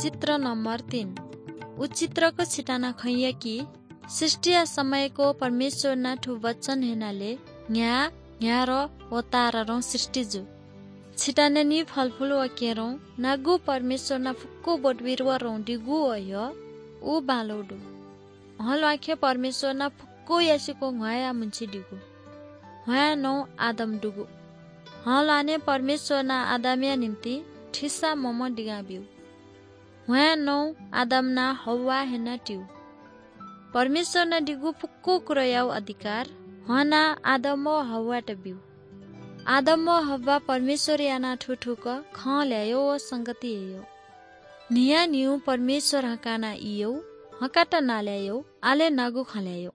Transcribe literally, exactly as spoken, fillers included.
चित्र नम्बर तीन। उ चित्रक छिताना खंया कि सृष्टिया समयको परमेश्वरना थ्व वचन हेनाले न्ह्या, न्ह्यार व तारारं सृष्टि जु। छिताना नि फलफुल व केरं नागु परमेश्वरना फुक्क बोटबिरुवारं दिगु व ह्य उ बांलो दु। हं ल्वाखे परमेश्वरना फुक्क यासिको ह्वाया मुंछि दिगु। ह्वाया नौ आदम दुगु। हं ल्वाने परमेश्वरना आदमया निम्ति थिसा मम दिगां ब्यू। ह्वाया नौ आदमना हव्वा हेना त्यू। परमेश्वरना दिगु फुक्क कुरायाउ अधिकार हना आदम व हव्वात ब्यू। आदम व हव्वा परमेश्वर याना थुथुक खँ ल्यायो व संगति ययो। न्हिया न्हिउ परमेश्वर हकाना इयो, हकात नाल्यायो, आले नागु खँ ल्यायो।